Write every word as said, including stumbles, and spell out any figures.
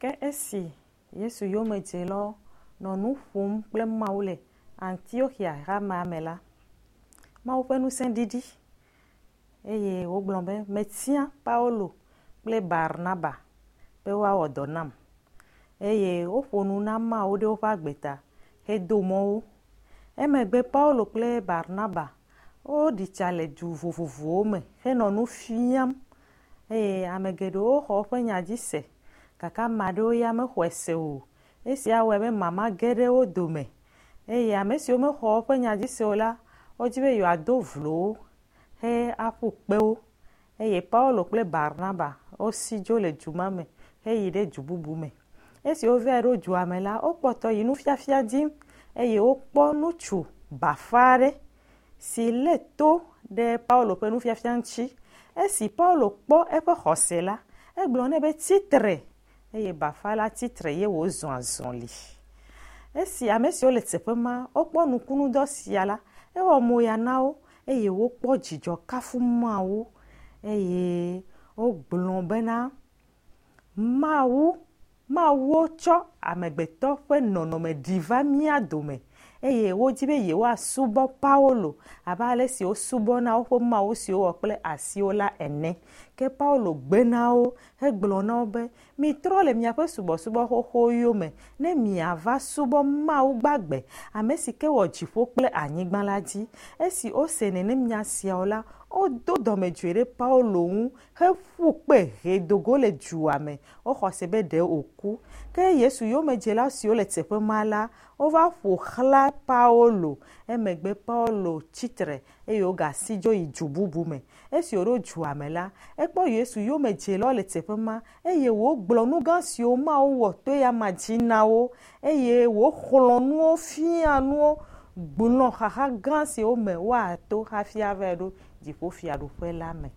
Ke esi Yesu yomedzelawo nɔ nu ƒom kple Mawu le Antioxia hamea me la, Mawu ƒe ŋusẽ ɖiɖi eye wogblɔ be metia Paulo kple Barnaba be woawɔ dɔ nam. Eye woƒo nu na Mawu ɖe woƒe agbe ta hedo mɔ wo. Emegbe Paulo kple Barnaba woɖi tsa le du vovovowo me henɔ nu fiam eye ame geɖewo xɔ woƒe nya dzi se gake ame aɖewo ya mexɔe se o. Esia wɔe be mama ge ɖe wo dome eye ame siwo mexɔ woƒe nya dzi se o la, wodzi be yewoado vlo wo he aƒu kpe wo eye Paulo kple Barnaba wosi dzo le du ma me heyi ɖe du bubu me. Esi wova ɖo dua me la, wokpɔtɔ yi nufiafia dim eye wokpɔ ŋutsu bafa aɖe si lé to ɖe Paulo ƒe nufiafia ŋuti. Esi Paulo kpɔ eƒe xɔse la, egblɔ nɛ be tsitre eye bafa la tsitre ye wòzɔ azɔli. Esi ame siwo le teƒe ma wokpɔ nukunudɔ sia la, ewɔ moya na wo eye wokpɔ dzidzɔ kafu Mawu eye wogblɔ bena Mawu Mawuwo tsɔ amegbetɔ ƒe nɔnɔme ɖi va mía dome eye wodzi be yewoasubɔ Paulo abe ale si wosubɔna woƒe mawu siwo wɔ kple asiwo la ene. Ke Paulo gbe na wo hegblɔ na wo be mitrɔ le miaƒe subɔsubɔ xoxo yome ne miava subɔ Mawu gbagbe ame si ke wɔ dziƒo kple anyigba la dzi. Esi wose nenem nya siawo la, wodo dɔmedzoe ɖe Paulo ŋu heƒu kpe hedo go le dua me. Woxɔ se be ɖe wòku. Ke Yesu yomedzela siwo le teƒe ma la, wova ƒo xlã Paulo. Emegbe Paulo tsitre eye wogasi dzo yi du bubu me. Esi wòɖo dua me la, ekpɔ Yesu yomedzelawo le teƒe ma eye wògblɔ nu gã siwo Mawu wɔ to eyama dzi na wo eye wòxlɔ̃ nuwo fia nuwo gblɔ xaxa gã siwo me woato hafi ava ɖo dziƒofiaɖuƒe la me.